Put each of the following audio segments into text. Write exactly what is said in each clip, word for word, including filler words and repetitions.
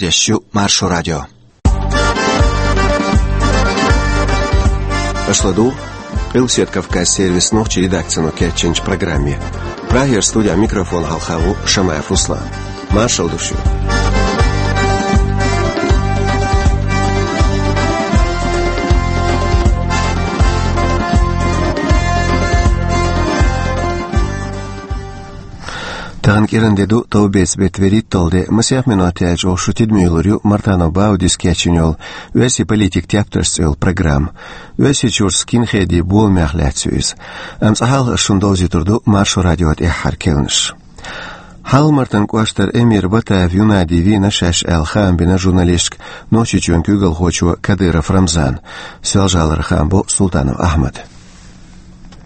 Дешю Маршо радио. Аша ладугӀу Къилбаседа Кавказан сервисан нохчийн редакцино кечйинчу программе. Прагера студехь микрофон хьалха ву Шамаев Руслан. Маршалла ду шуьга. Тахана кӀиранде ду товбеца беттан вуьрхӀитталгӀа де, масех минот яьлча оха шун тидаме йиллар ю Мартанов Баудис кечйина йолу «Оьрсийн политикан тептарш» цӀе йолу программа. Оьрсийчуьра скинхедийн боламех лаьцна ю иза. Амма цкъа хьалха ас шуна довзуьйтур ду Маршо радион тӀаьххьара керланаш. Хьалха-Мартан кӀоштара эмира Батаев Юнади вийна шаьш аьлла хаам бина журналисташка Нохчийчоьнан куьйгалхочо Кадыров Рамзана. Соьлжа-ГӀалара хаам бо Султанов Ахьмада.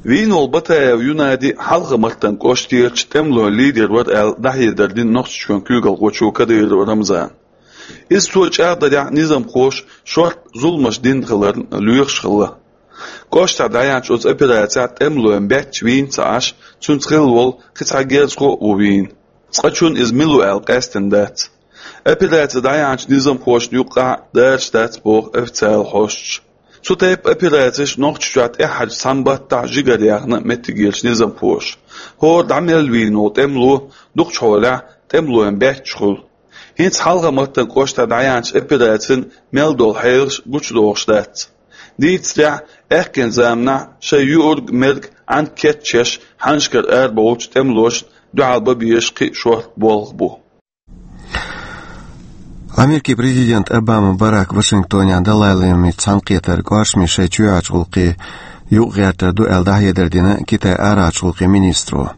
Вийна волу Батаев Юнади Хьалха-Мартан кӀоштерчу тӀемалойн лидер вара аьлла, дӀахьедар дина Нохчийчоьнан куьйгалхочо Кадыров Рамзана. Иза цо чӀагӀдарехь, низамхоша шортта зуламаш дина хиларна лоьхуш хилла. КӀоштахь дӀаяьхьначу оцу операцехь тӀемалойн баьчча вийна ца Ӏаш, цуьнца хилла волу кхин цхьа герзахо а ву вийна. Цкъачунна иза мила ву аьлла къаьстина дац. Операци дӀаяьхьначу низамхошна юккъехь а дараш дац боху официалан хьосташа. Цу тайпа операцеш Нохчийчохь тӀаьххьарчу цхьана баттахь жигара яьхна меттигерчу низамхоша. ХӀора дӀа мел вийна волу тӀемало дукхачу хьолехь тӀемалойн баьчча хуьлу. ХӀинца Хьалха-Мартан кӀоштахь дӀаяьхьначу операцин мел долу хьелаш гучудохуш дац. Дийцарехь, аьхкенан заманахь шайн юург-мерг Ӏанка кечъеш, хьаннашкара арабовлучу тӀемалошна дуьхьал бан безаш кхин а шортта болх бу. Америкин президент Обама Барак Вашингтонехь Далай-ламица цхьаьнакхетар кӀоршаме шайн чоьхьарчу гӀуллакхийн юкъагӀертар ду аьлла дӀахьедар дина Китайн арахьарчу гӀуллакхийн министро.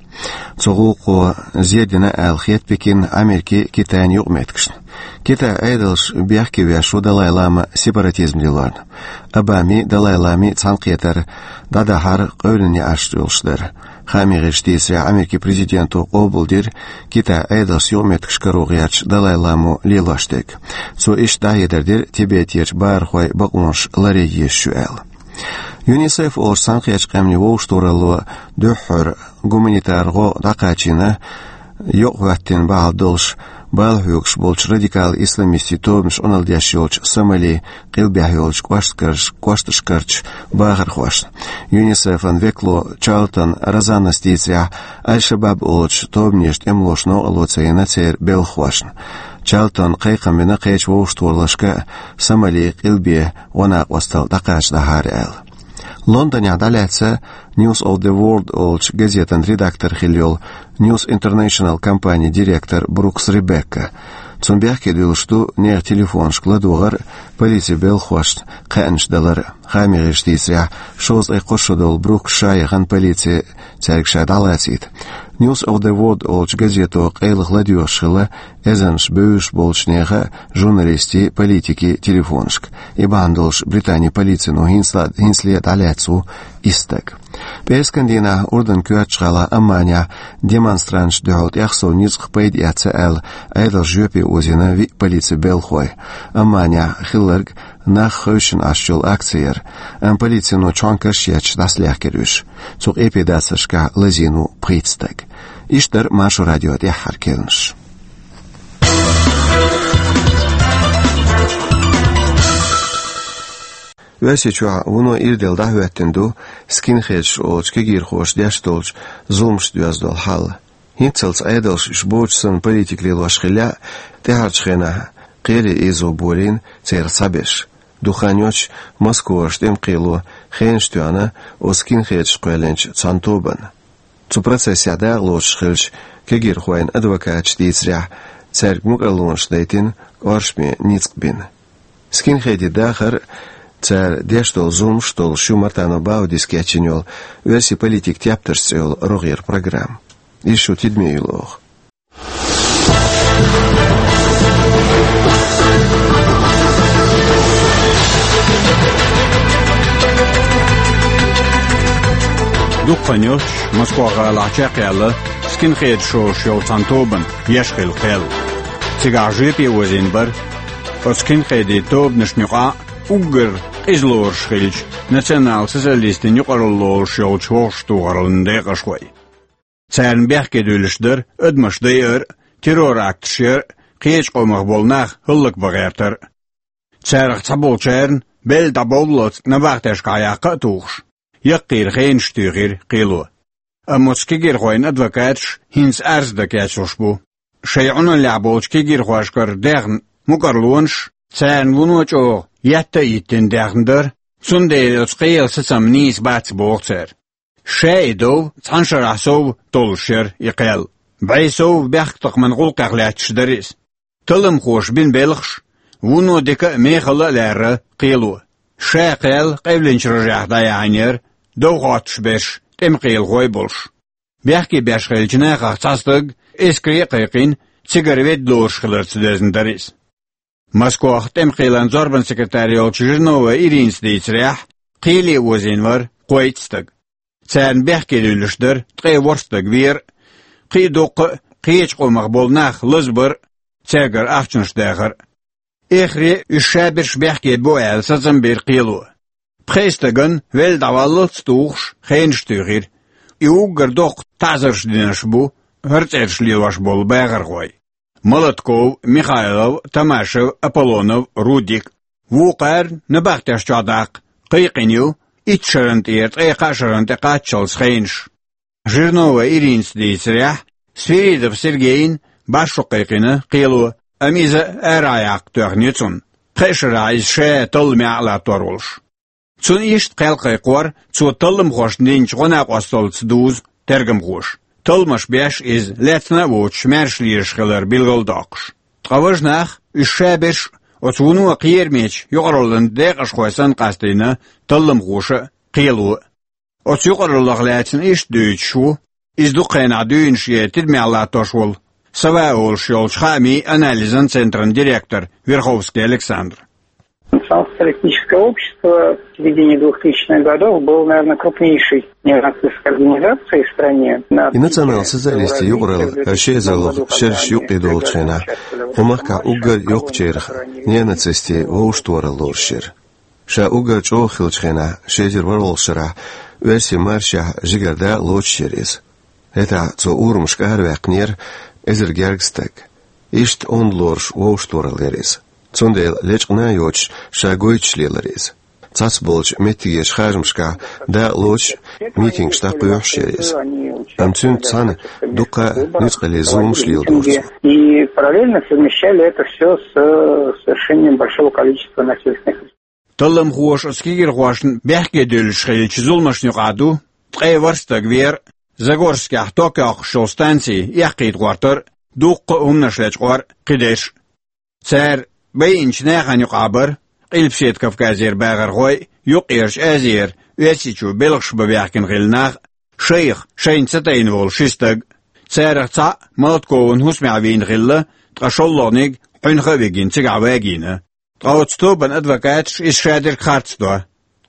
Цу гӀуллакхо зен дина аьлла хета Пекинна Америкин а, Китайн а юкъаметтигашна. Китайн Ӏедалш бехке веш ву Далай-лама сепаратизм лелорна. Обамин а, Далай-ламин а цхьаьнакхетар дӀадахьар къевлина неӀарш йолуш дара. Хаамийн гӀирсаша дийцарехь, Америкин президенто къобалдира Китайн Ӏедалшца юкъаметтигаш каро гӀерташ Далай-ламо лелош дерг. Цо иштта дӀахьедар дира Тибетерчу бахархойн бакъонаш ларъян езаш ю аьлла. ЮНИСЕФ олуш Цхьаьнакхеттачу Къаьмнийн вовшахтохаралло дуьххьара гуманитар гӀо дӀакхачийна, йокъахӀоьттина бахьана долуш, бала хьоьгуш болчу радикал-исламистийн тобанаш Ӏуналла деш йолчу Сомалин къилбехь йолчу кӀошташ-, кӀошташкарчу бахархошна. ЮНИСЕФ-ан векало Чарлтон Розаннас дийцарехь, Аль-Шабаб олучу тобанеша тӀемалоша новкъарло ца йина церан белхахошна. Чарлтона кхайкхам бина кхечу вовшахтохараллашка а Сомалин къилбе гӀо-накъосталла дӀакхачадахьа аьлла. Лондонехь дӀалаьцна News of the World олучу газетан редактор хилла йолу News International компанин директор Брукс Ребекка. Цунна бехке дуьллуш ду нехан телефонашка ладогӀар а, полицин белхахошна кхаьънаш далар а. Хаамийн гӀирсаша дийцарехь, шовзткъе кхо шо долу Брукс ша яхана полице цаьрга ша дӀалацийта. News of the World олучу газето къайлаха ладоьгӀуш хилла эзарнаш бевзаш болчу нехан а, журналистийн а, политикийн а телефонашка. И бахьана долуш Британин полицино хӀинцале, хӀинцале дӀалаьцна ву исс стаг. ПӀераскан дийнахь Урдан коьртачу гӀала Амманехь демонстранташна дуьхьал тӀехсов ницкъах пайда эцна аьлла, Ӏедалша жоьпе озийна виъ полицин белхахой. Амманехь хилларг нах хевшина Ӏаш йолу акци яра, амма полицино чхьоьнкаш а етташ дӀасалаьхкира уьш. Цу къепедацаршкахь лазийна ву пхийтта стаг. Иштта дара Маршо радион тӀаьххьара керланаш. Оьрсийчохь вуно ирделла дӀахӀоьттина ду скинхедаш олучу кегийрхоша деш долчу зуламашца доьзна долу хьал. ХӀинццалц Ӏедалша уьш боцуш санна политика лелош хиллехь а, тӀаьхьарчу хенахь кхерий ийзо болийна церан схьаберш. Дукха хан йоццуш Москвахь тӀеман кхело хенаш тоьхна оцу скинхедаш кхоьллинчу цхьана тобанна. Цу процессехь дакъалоцуш хиллачу кегийрхойн адвокаташа дийцарехь, цаьрга мукӀарлонаш дайтина, кӀоршаме ницкъ бина. Скинхедийн дахар а, цара деш долу зуламаш а долуш ю Мартанов Баудис кечйина йолу «Оьрсийн политикан тептарш» цӀе йолу рогӀера программа. Иза шун тидаме йиллар оха. Дукха хан йоццуш Москва-гӀалахь чекхъяьлла скинхедаш шош йолу цхьана тобанна еш хилла кхел. Цигахь жоьпе озийна бара оцу скинхедийн тобанашна юкъахь уггар къиза лоруш хиллачу национал-социалистийн юкъаралла лоруш йолчу вовшахтохараллин декъашхой. Царна бехке дуьллуш дара адамаш дайар а, террор-акташ яр а, кхечу къомах болу нах хӀаллакбан гӀертар а. Царах цхьаболчарна, белла дӀабовллалц, набахтешкахь яккха а тухуш, яккхийра хенаш туьйхира кхело. Амма оцу кегийрхойн адвокаташ хӀинца арз дан кечлуш бу. Шайн Ӏуналлехь болчу кегийрхошкара дехна мукӀарлонаш, царна вуно чӀогӀа етта а йиттина дехна дара, цундела оцу кхелан сацам нийса бац, боху цара. Ша и дов цхьана шарахь сов толлуш яра и кхел. БӀе сов бехктакхаман гӀуллакхех лаьтташ дара иза. Талламхоша бина белхаш, вуно дика а, мехала а лаьрра кхело. Ша кхел къевлинчу рожехь дӀаяьхьна яра, дов хоттуш берш тӀемакхелахой болуш. Бехке беш хиллачу нахах цхьа стаг эскаре а кхайкхина, цигара ведда лоруш хиларца доьзна дара иза. Москвахь тӀемакхелан зорбан секретарь йолчу Жирновой Иринас дийцарехь, кхеле озийна вара кхойтта стаг. Царна бехке дуьллуш дара ткъе ворхӀ стаг вер а, кхин а дуккха а кхечу къомах болу нах лазабар а, цаьргара ахчанаш дахар а. Эххар а уьш шаберш бехке бу аьлла сацам бира кхело. Пхеа стагана велла дӀаваллалц тухуш хенаш туьйхира. И уггар доккха таӀзарш динарш бу хӀара цӀераш лелош болу бахархой: Молотков, Михайлов, Тамашев, Аполлонов, Рудик. Вукхара набахтеш чохь даккха кхайкхина ю итт шарна тӀера ткъе кхаа шарна тӀе кхаччалц хенаш. Жирновой Иринас дийцарехь, Свиридов Сергейна башхо кхайкхина кхело, амма иза арахь яккха тоьхна ю цунна, пхеа шарахь иза ша талламехь а латтор волуш. Цунна иштта кхел кхайкхор цо талламхошна динчу гӀо-накъосталлица дузу тергамхоша, талламаш беш иза лаьцна а воцуш маьрша лелаш хилар билгалдоккхуш. Ткъа важа нах, уьш шаберш а, оцу вуно кхерамечу юкъараллин декъашхой санна, къастийна талламхоша а, кхело а. Оцу юкъараллах лаьцна иштта дуьйцуш ву иза дукха хенахь дуьйна шен тидамехь латтош волу, Сова олуш йолчу хаамийн анализан центран директор Верховский Александр. Национал-социалистическое общество в середине двухтысячных годов было, наверное, крупнейшей неонацистской организацией в стране. И национал-социалистийн юкъаралла ши эзарлагӀа шераш юккъе долчу хенахь кху махкахь уггар йоккхачарах неонацистийн вовшахтохаралла лоруш яра. Ша уггар чӀогӀа хиллачу хенахь, ши эзар ворхӀалгӀачу шарахь, оьрсийн маршехь жигара дакъа лоцуш яра иза. ХӀетахь цо урамашка араваьккхинера эзар гергга стаг. Иштта онда лоруш вовшахтохаралла яра иза. Цундела лечкъина а йоцуш, ша гойтуш лелара иза. Цхьацболчу меттигерчу харжамашкахь дакъа лоцуш, митингаш дӀакхоьхьуш яра иза. Амма цуьнца цхьаьна дуккха а нуьцкъале зуламаш леладора цо. И параллельно совмещали это всё с, э, совершением большого количества насильственных. Талламхоша оцу кегийрхошна бехке дуьллуш хиллачу зуламашна юкъахь ду ткъе ворхӀ стаг вер а, Загорскехь ток йоккхуш йолу станци эккхийта гӀортар а, дуккха а хӀуманаш лечкъор а, кхидерш а. Цара байинчу нахана юкъахь бара Къилбаседа Кавказера бахархой а, Юккъерчу Азера, Оьрсийчу белхаш бан баьхкина хилла нах а, шайх, шайна ца тайна волу ши стаг а. Царах цхьаъ Молоткован хӀусамехь вийна хилла, ткъа шолгӀаниг Ӏуьнха а вигина цигахь вагийна. Ткъа оцу тобанан адвокаташа иза шадерг харц до.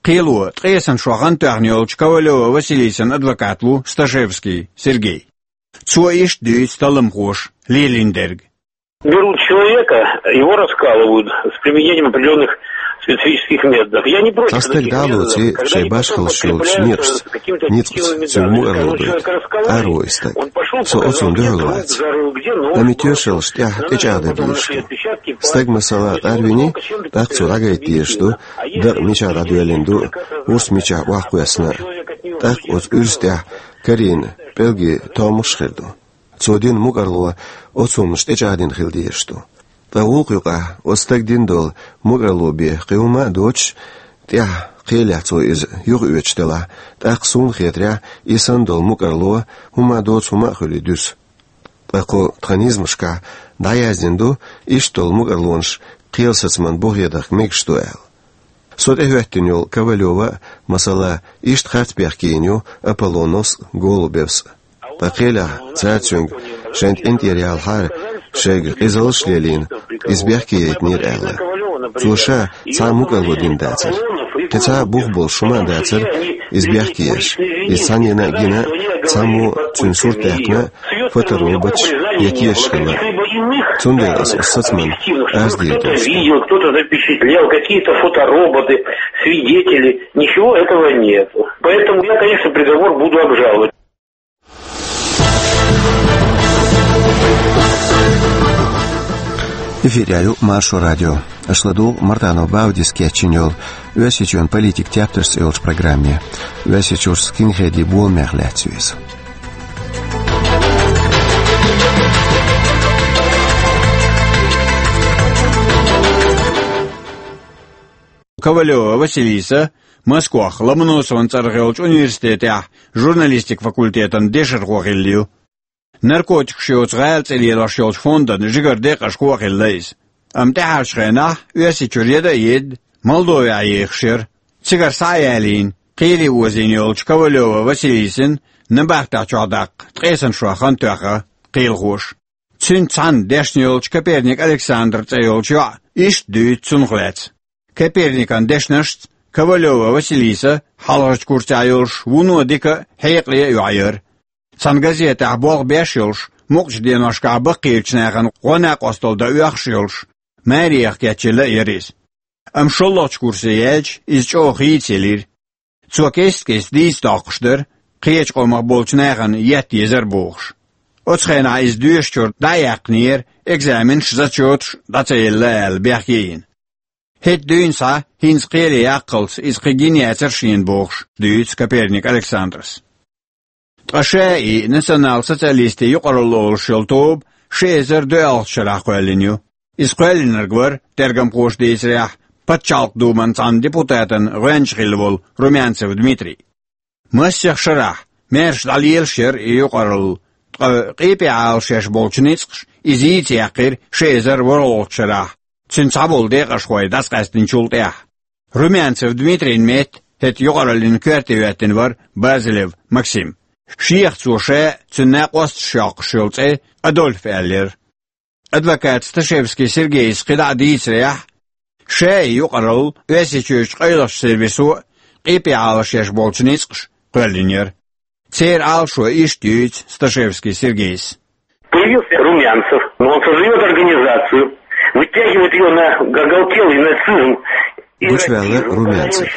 Кхело ткъесна шо хан тоьхна йолчу Ковалёва Василисан адвокат ву Сташевский Сергей. Цо иштта дуьйцу талламхоша лелийна дерг. Берут человека, его раскалывают с применением определённых специфических методов. Я не против. Цхьа стаг дӀалоций шайн башхаллаш йолчу некъашца, ницкъаца цуьнга мукъарло дойту. Къаро и стаг. Со оцунна дуьхьал вац. Амма и тоьшаллаш тӀехь тӀечӀагӀдан дезаш ду. Стаг, масала, къарвиний, тӀаккха цо дӀагайта дезаш ду, дакъа мичахь дӀадоьллина ду, урс мичахь охьакхоьссина а. ТӀаккха оцу урса тӀехь карийна пӀелгийн томмаш хир ду. Цо дина мукъарло оцу хӀуманаш тӀечӀагӀдина хила дезаш ду. Ткъа гӀуллакх юкъахь оцу стага дина долу мукъарло бен кхин хӀума а доцуш, тӀаьхьа кхелехь цо иза юхаоьцуш делахь, тӀаккха суна хетарехь, и санна долу мукъарло хӀума доцу хӀума а хуьлий дуьсу. Ткъа кху тхан низамашкахь дӀаяздина ду, иштта долу мукъарлонаш кхелан сацаман бухе дахка мегаш ду аьлла. Со тӀехӀоьттина йолу Ковалёва а, масала, иштта харц бехке йина ю Аполлоновс а, Голубевс а. Ткъа кхелехь цара цуьнга шайна тӀинтӀера ялахьара, шайга къизаллаш лелийна, иза бехке яйтинера аьлла. Цо ша цхьа а мукъарло дина дацара. Кхин цхьа а бух болуш хӀума а дацара иза бехке еш. Иза цхьаннена а гина, цхьаммо цуьнан сурт даьккхина, фотороботаш я тешаш хилла. Цундела аса оцу сацаман арз дийр ду. Видел, кто-то запечатлел, какие-то фотороботы, свидетели. Ничего этого нет. Поэтому я, конечно, приговор буду обжаловать. Эфире ю Маршо радио. Аша ладугӀу Мартанов Баудис кечйина йолу «Оьрсийчоьнан политикан тептарш» цӀе йолчу программе. Оьрсийчуьра скинхедийн боламех лаьцна ю иза. Ковалева Василиса Москвахь Ломоносован цӀарах йолчу университетехь журналистикан факультетан дешархо хилла ю. Наркотикаш йоцу гӀала цӀе лелош йолчу фондан жигара декъашхо а хилла иза. Амма тӀаьхьарчу хенахь Оьрсийчуьра яда а едда, Молдовехь ехаш яра. Цигара схьа а ялийна, кхеле озийна йолчу Ковалева Василисина набахтехь чохь даккха ткъе сан шо хан тоьхна кхелахоша. Цуьнца цхьаьна дешна йолчу Коперник Александр цӀе йолчу йоӀа иштта дуьйцу цунах лаьцна. Коперникан дешнашца Ковалева Василиса хьалхарчу курсехь йолуш вуно дика а, хьекъале а йоӀ яра. Цхьана газетехь болх беш а йолуш, мукъачу деношкахь баккхийчу нахана гӀо-накъосталла дан оьхуш а йолуш, марехь кечйина а яра иза. Амма шолгӀачу курсе яьлча, иза чӀогӀа хийцаелира. Цо кест-кеста дийца доккхуш дара, кхечу къомах болчу нахана етта езара бохуш. Оцу хенахь иза доьшучуьра дӀа а яьккхинера, экзаменаш, зачеташ дӀа ца елла аьлла, бехке а йина. ХӀетахь дуьйна схьа, хӀинца кхеле яккхалц, иза кхин гина яцара шена бохуш, дуьйцу Коперник Александрас. Ткъа ШАИ, национал-социалистийн юкъаралла олуш йолу тоба, ши эзар доьалгӀачу шарахь кхоьллина ю. Иза кхоьллинарг вара, тергамхоша дийцарехь, Пачхьалкхан Думан цхьана депутатан гӀоьнча хилла волу Румянцев Дмитрий. Масех шарахь, маьрша дӀалелаш яра и юкъаралла, ткъа къепе Ӏалашъеш болчу ницкъаша иза йийца яьккхира ши эзар ворхӀалгӀачу шарахь, цуьнан цхьаболу декъашхой дӀасакъаьстинчул тӀаьхьа. Румянцев Дмитрийна метта хӀетахь юкъараллин коьрте хӀоьттина вара Базилев Максим. Шех цо ша а, цуьнан накъосташа йоккхуш йолу цӀе Адольф аьлла яра. Адвокат Сташевский Сергейс кхидӀа а дийцарехь, ШАИ юкъаралла, Оьрсийчуьрчу къайлахчу сервисо а къепе Ӏалашъеш болчу ницкъаша кхоьллина яра. Церан Ӏалашо иштта юьйцу Сташевский Сергейс. Появился Румянцев, но он создаёт организацию, вытягивает её на оголтелый нацизм. Гучуваьлла Румянцев.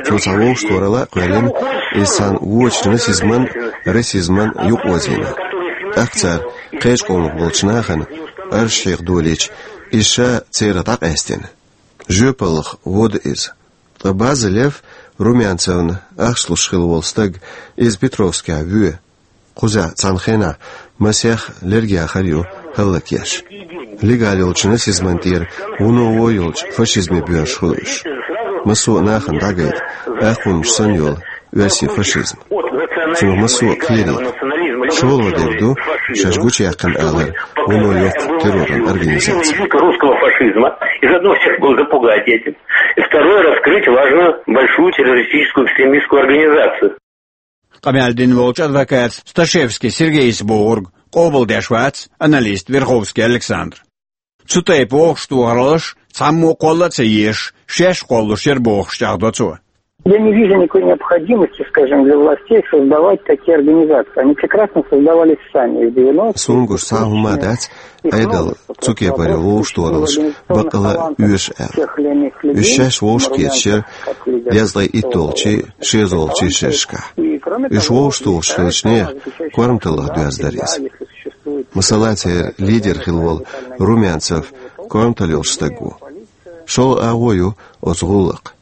Цо цхьа вовшахтохаралла а кхоьллина, иза цхьана вочу нацизман, расизман юкъаозийна. ТӀаккха цара кхечу къомах болчу нахана арш хьеха долийча, иза ша церах дӀакъаьстина. Жоьпаллах вода иза. Ткъа Базилев, Румянцевна ахча луш хилла волу стаг, иза Петровскехь воь. Кхузахь цхьана хенахь масех лергахар ю хӀаллакъеш. Легал йолчу нацизман тӀера вуно вон йолчу фашизме боьрзуш хуьлу уьш. Массо а нахана дӀагайта, акхуннаш санна йолу оьрсийн фашизм. Цунах массо а кхерийта. ШолгӀа дерг ду шаьш гучуяьккхина алар вуно йоккху терроран организаци. Элита русского фашизма. И заодно всех было запугать этим. И второе, раскрыть важную, большую террористическую экстремистскую организацию. Къамел дина волчу адвоката Сташевский Сергейс бохург къобалдеш вац аналист Верховский Александр. Цу тайпа вовшахтохараллаш цхьаммо а кхолла а ца езаш, шаьш кхоллуш яра бохуш чӀагӀдо цо. Я не вижу никакой необходимости, скажем, для властей создавать такие организации. Они прекрасно создавались сами в девяностые. Суна гуш цхьа а хӀума дац, Ӏедал цу кепара вовшахтохараллаш бакъалла а оьшу аьлла. Уьш шаьш вовшахкхеташ яра дезткъе иттолгӀачий, шозлагӀчий шерашкахь. Уьш вовшахтухуш хиллачу нехан корматаллах доьзна дара иза. Масала, церан лидер хилла волу Румянцев корматалла йолуш стаг ву. ШолгӀа агӀо ю оцу гӀуллакхан.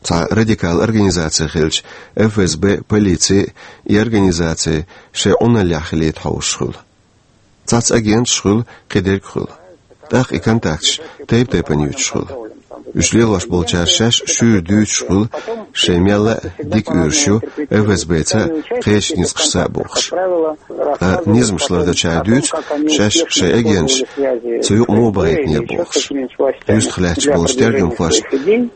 Цхьа радикал организаци хилча, ФСБ, полици и организаци шайн Ӏуналлехь хилийта хьовсуш хуьлу. Цхьацца агенташ хуьлу, кхидерг хуьлу. ТӀаккха и контакташ тайп-тайпана юьтуш хуьлу. Уьш лелош болчара шаьш шуьйра дуьйцуш хуьлу, шайн мелла а дика оьшуш ю ФСБ-ца а, кхечу ницкъашца а бохуш. Ткъа низамаш лардечара дуьйцу шаьш шайн агенташ цу юкъа муха бахийтинера бохуш. Юьстах лаьтташ болчу тергамхошна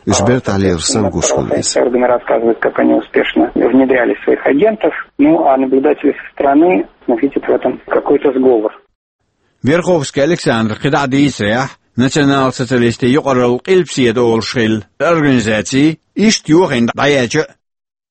уьш бертахь лелаш санна гуш хуьлу иза. Органы рассказывают, как они успешно внедряли своих агентов. Ну, а наблюдатели со стороны, ну, видят в этом какой-то сговор. Верховский Александр кхидӀа а дийцарехь, национал-социалистийн юкъаралла къилбаседа олуш хилла организаций иштта йохийна дӀаяьлча а,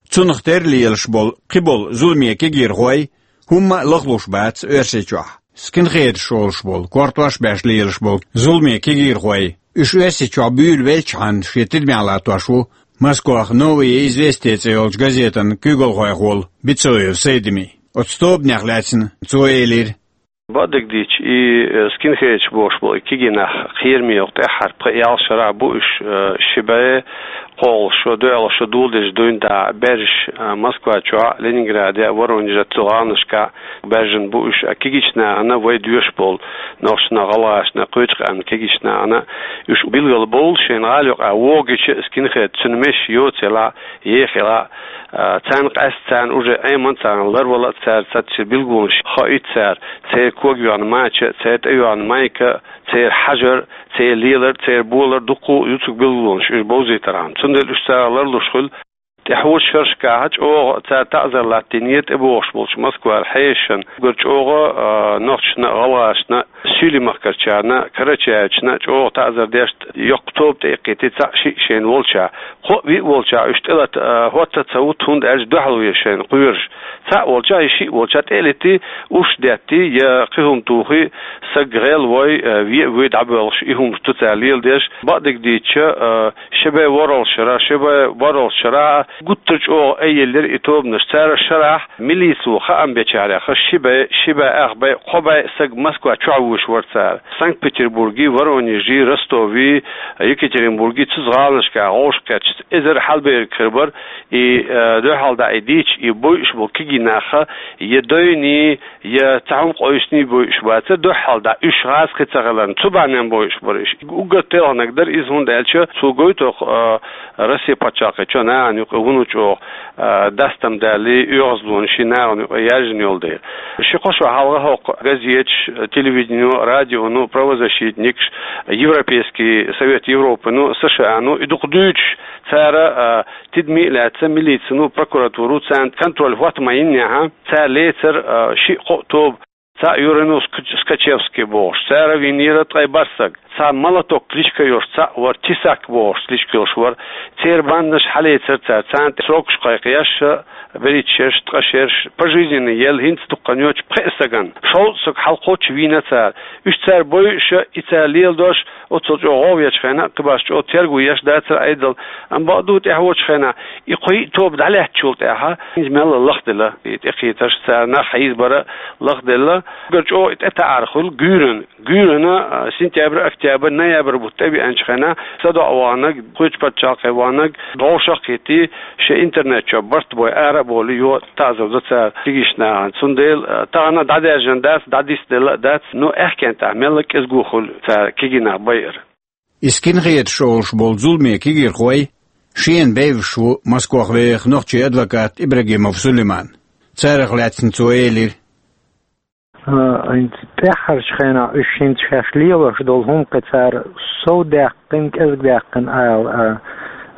цунах тера лелаш болу кхиболу зуламе кегийрхой хӀумма а лахлуш бац Оьрсийчохь. Скинхедаш олуш болу, кортош беш лелаш болу зуламе кегийрхой, уьш Оьрсийчохь буьйлавелчхьана шен тидамехь латтош ву Москвахь «Новые известия» цӀе йолчу газетан куьйгалхойх волу Бицоев Сайдими. Оцу тобанех лаьцна цо элира: Бакъдерг дийцича, и, э, скинхедаш бохуш болу и кегий нах кхераме йоккха тӀаьххьара пхи-ялх шарахь бу уьш, э, ши бӀе кхоалгӀа шо, доьалгӀа шо доладелча дуьйна дӀа баьржаш, э, Москва чохь, Ленинграде, Воронеже, цу гӀаланашкахь баьржина бу уьш, а кегийчу нахана вай доьшуш болу нохчашна, гӀалгӀашна, кхечу къаьмнийн кегийчу нахана уьш билгалбовлу шайна гӀала юкъахь вогӀучу скинхед, цуьнан меш йоцу елахь, еха елахь, а, царна къаьста, царна уже Ӏемина, царна ларвала, цара цхьацца билгалонаш хаийта цара, церан кога йоьхна мача, церан тӀе йоьхна майка, церан хьажар, церан лелар, церан болар дуккха а ю цуьнга билгалонаш уьш бовзийтархьама. Цундела уьш цара ларлуш хуьлу. ТӀаьхьарчу шерашкахь чӀогӀа цара таӀзар латтийнера тӀебогӀуш болчу Москвара хьешашна, уггар чӀогӀа, а, нохчашна а, гӀалгӀашна а, Суьйлийн махкарчарна а, карачаевцашна а чӀогӀа таӀзар деш, йоккха тоба тӀеэккхийтира цхьаъ-шиъ шайна волчохь. Кхоъ-виъ волчохь уьш тӀелата, а, хӀотта а ца ву, хӀунда аьлча дуьхьал ву шайна кхоьруш. Цхьаъ волчохь я шиъ волчохь тӀелетий, уьш деттий, я кхин хӀума тухий, саг гӀел вой, а, ве а вуй дӀабоьлхуш, и хӀумаш ду цара леладеш. Бакъдерг дийцича, а, ши бӀе ворхӀалгӀачу шарахь, ши бӀе ворхӀалгӀачу шарахь гуттар а чӀогӀа айъеллера и тобанаш. Цара шарахь милицо хаам бечарех ши бӀе, ши бӀе ах бӀе, кхо бӀе саг Москва чохь вуьйш вара цара. Санкт-Петербургий, Воронежий, Ростовий, Екатеринбургий, цу гӀаланашкахь вовшахкхетча, эзар хьалаберг хир бара, и, э, дуьхьал дӀа и дийцича, и бойуш болу кегий нах, я дойний, я цхьа хӀума къовсиний бойуш бацара, дуьхьал дӀа уьш гӀазкхий ца хиларна, цу бахьанехь бойуш бара уьш. Уггар телхинарг дара иза, хӀунда аьлча цо гойту, а, Россин пачхьалкхе чохь нахана юкъа вуно чӀогӀа, а, дастам далий, оьгӀазлонаш нахана юкъа яьржина йолу дела. Ши-кхо шо хьалха хӀокху газеташ, телевиденино, радионо, правозащитникаш, Европейский Совет Европы-но, С Ш А-но, и дукха дуьйцуш, цара, а, тидаме а лаьцна, милицино, прокуратуро царна контроль хӀотта ма йиннехь, цара лецара, а, шиъ-кхоъ тоба. Цхьаъ юра ву Ск-, Скачевский бохуш, цара вийнера ткъе бархӀ саг. Цхьа Молоток кличка йолуш цхьаъ вара, Тесак бохуш кличка йолуш вара. Церан бандаш хьалецара цара, царна тӀе срокаш кхайкхош, берхӀитта шераш, ткъа шераш, пожизненный елла, хӀинца дукха хан йоцуш пхеа сагана. Шовзткъа саг хьалакхоччуш вийна цара. Уьш цара бойуш, и цара леладеш, оццул чӀогӀа гӀовгӀа ечу хенахь, кхин башха чӀогӀа терго еш дацара Ӏедал. Амма бакъду, тӀаьхьарчу хенахь и кхо-йиъ тоба дӀалаьцначул тӀаьхьа, хӀинца мелла лахделла и тӀекхетарш, цара нах хьийзабар лахделла. Уггар чӀогӀа и тӀетаӀар хуьлу гуьйранна. Гуьйранна, а, сентябрь, октябрь, ноябрь бутт тӀебеанчу хенахь, садоӀа ваханарг, кхечу пачхьалкхе ваханарг, вовшах а кхетий, шен интернет чохь барт бой, ара а болий, йо, таӀзар до цара кегийчу нахана. Цундела, а, тахана дӀадаьржина дац, дӀадисделла а дац, но аьхкенна тӀехь мелла кӀезиг хуьлу цара кегий нах байар. И скинхедаш олуш болу зуламе кегийрхой шена бевзаш ву Москвахь вехаш нохчийн адвокат Ибрагимов Сулейман. Царах лаьцна цо элира: А, хӀинца тӀаьххьарчу хенахь уьш хӀинца шаьш лелош долу хӀума кхин цара совдаьккхина, кӀезигдаьккхина ала, а,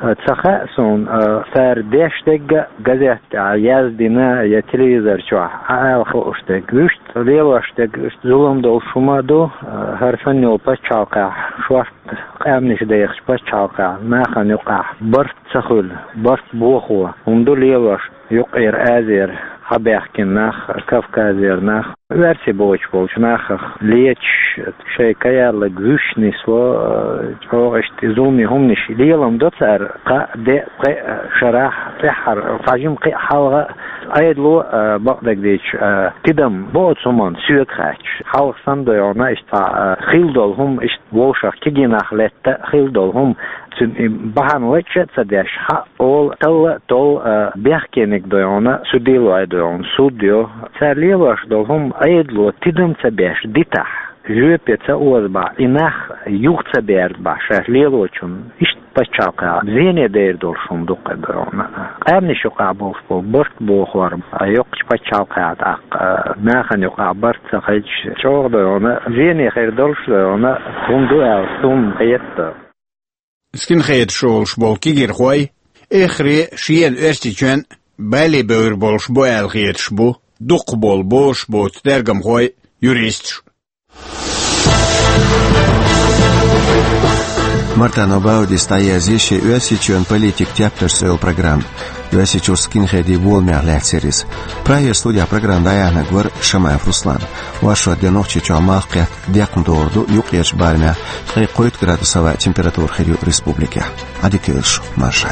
а, ца хаьа суна, а, цара деш дерг а газет тӀехь яздина я телевизор чохь Ӏа ала хууш дерг. Вуьшта лелош дерг, вуьшта зулам долуш хӀума а ду, а, хӀара санна йолу пачхьалкхехь шорта къаьмнаш дехачу пачхьалкхехь нахана юкъахь барт ца хуьлу, барт бохо хӀума ду лелош. Юккъера Азера хьабаьхкина нах, Кавказера нах, оьрсий боцуш болчу нахах леташ, шайн каяллаг вуьш нисло, чӀогӀа иштта зуламе хӀуманаш лелам до цара, кхаа, деа, пхеа шарахь, тӀаьххьара, цхьа жима кхин а хьалха, Ӏедало, а, бакъдерг дийцича, а, тидам бо оцу хӀуманна соьга хаьтташ. Хьалха санна дойгӀана, иштта цхьа, а, хилла долу хӀума, иштта вовшах кегий нах летта а хилла долу хӀума, цуьнан и бахьана лачкъа а ца деш, хьаъ олу, талла а толу, а, бехкениг дойгӀана, судилой дойгӀана, суд йо. Цара лелош долу хӀума Ӏедало тидам ца беш дитахь, жоьпе ца озабахь, и нах юха ца бердабахь шаьш лелочунна, иштта пачхьалкхехь зене дер долуш хӀума ду кхин дойгӀана. Къаьмнаш юкъахь болуш болу барт бохор, а, йоккхачу пачхьалкхехь тӀаккха, а, нахана юкъахь барт ца хилча, чӀогӀа дойгӀана, зене хир долуш дойгӀана хӀума ду аьлла, суна хета. Скинхедаш олуш болу кегийрхой эххар а шена Оьрсийчоьнна бале бевр болуш бу аьлла хеташ бу дукхахболу бозуш боцу тергамхой, юристаш. Мартано Баудис дӀаязйи шен «Оьрсийчоьнан политикан тептарш» цӀе йолу программа. Оьрсийчуьра скинхедийн боламех лаьцна яра иза. Прагера студехь программа дӀаяьхьнарг вара Шамаев Руслан. Оршот де Нохчийчохь малх кхетта декхна догӀур ду, юккъерчу барамехь ткъе кхойтта градус хӀаваъ температура хир ю республикехь. Ӏадика йойла шу, марша.